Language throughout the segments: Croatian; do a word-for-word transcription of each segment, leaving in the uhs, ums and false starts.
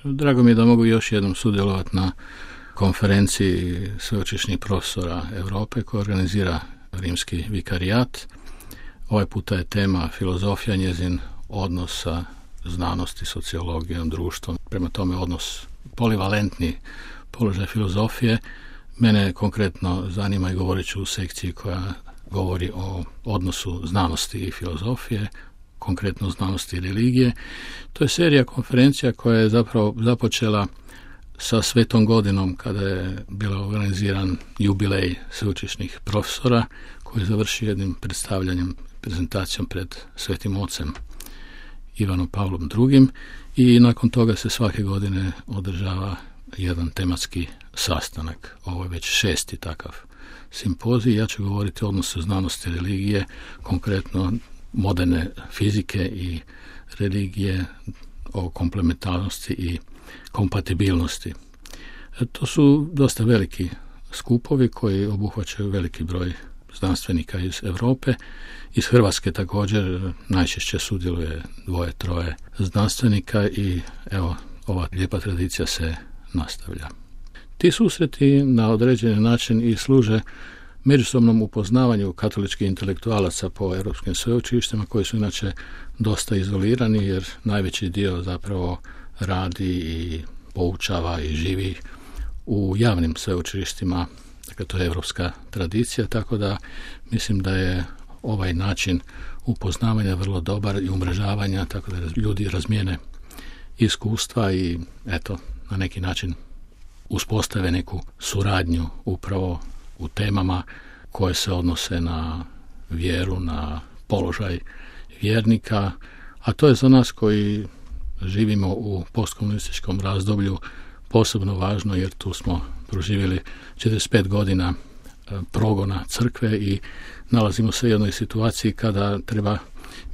Drago mi je da mogu još jednom sudjelovati na konferenciji sveučilišnih profesora Europe koja organizira Rimski vikarijat. Ovaj puta je tema filozofija, njezin odnos sa znanosti, sociologijom, društvom. Prema tome odnos polivalentni položaj filozofije. Mene konkretno zanima i govorit ću u sekciji koja govori o odnosu znanosti i filozofije, konkretno znanosti i religije. To je serija konferencija koja je zapravo započela sa Svetom godinom kada je bila organiziran jubilej sveučilišnih profesora koji završi jednim predstavljanjem, prezentacijom pred Svetim ocem Ivanom Pavlom drugim. I nakon toga se svake godine održava jedan tematski sastanak. Ovo je već šesti takav simpozij. Ja ću govoriti o odnosu znanosti i religije, konkretno moderne fizike i religije, o komplementarnosti i kompatibilnosti. To su dosta veliki skupovi koji obuhvaćaju veliki broj znanstvenika iz Europe. Iz Hrvatske također najčešće sudjeluje dvoje, troje znanstvenika i evo, ova lijepa tradicija se nastavlja. Ti susreti na određeni način i služe međusobnom upoznavanju katoličkih intelektualaca po europskim sveučilištima koji su inače dosta izolirani jer najveći dio zapravo radi i poučava i živi u javnim sveučilištima. Dakle, to je europska tradicija, tako da mislim da je ovaj način upoznavanja vrlo dobar i umrežavanja, tako da ljudi razmijene iskustva i eto, na neki način uspostave neku suradnju upravo u temama koje se odnose na vjeru, na položaj vjernika, a to je za nas koji živimo u postkomunističkom razdoblju posebno važno jer tu smo proživjeli četrdeset pet godina progona crkve i nalazimo se u jednoj situaciji kada treba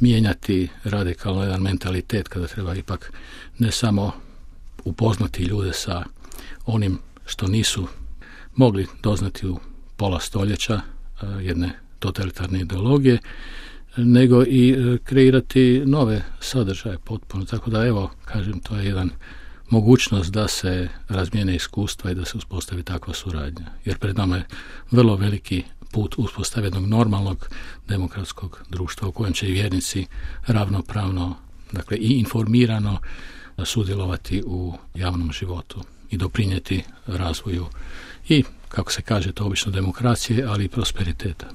mijenjati radikalno jedan mentalitet, kada treba ipak ne samo upoznati ljude sa onim što nisu mogli doznati u pola stoljeća jedne totalitarne ideologije, nego i kreirati nove sadržaje potpuno. Tako da evo, kažem, to je jedan mogućnost da se razmijene iskustva i da se uspostavi takva suradnja. Jer pred nama je vrlo veliki put uspostave jednog normalnog demokratskog društva u kojem će i vjernici ravnopravno, dakle i informirano sudjelovati u javnom životu i doprinijeti razvoju i, kako se kaže, to obično demokracije, ali i prosperiteta.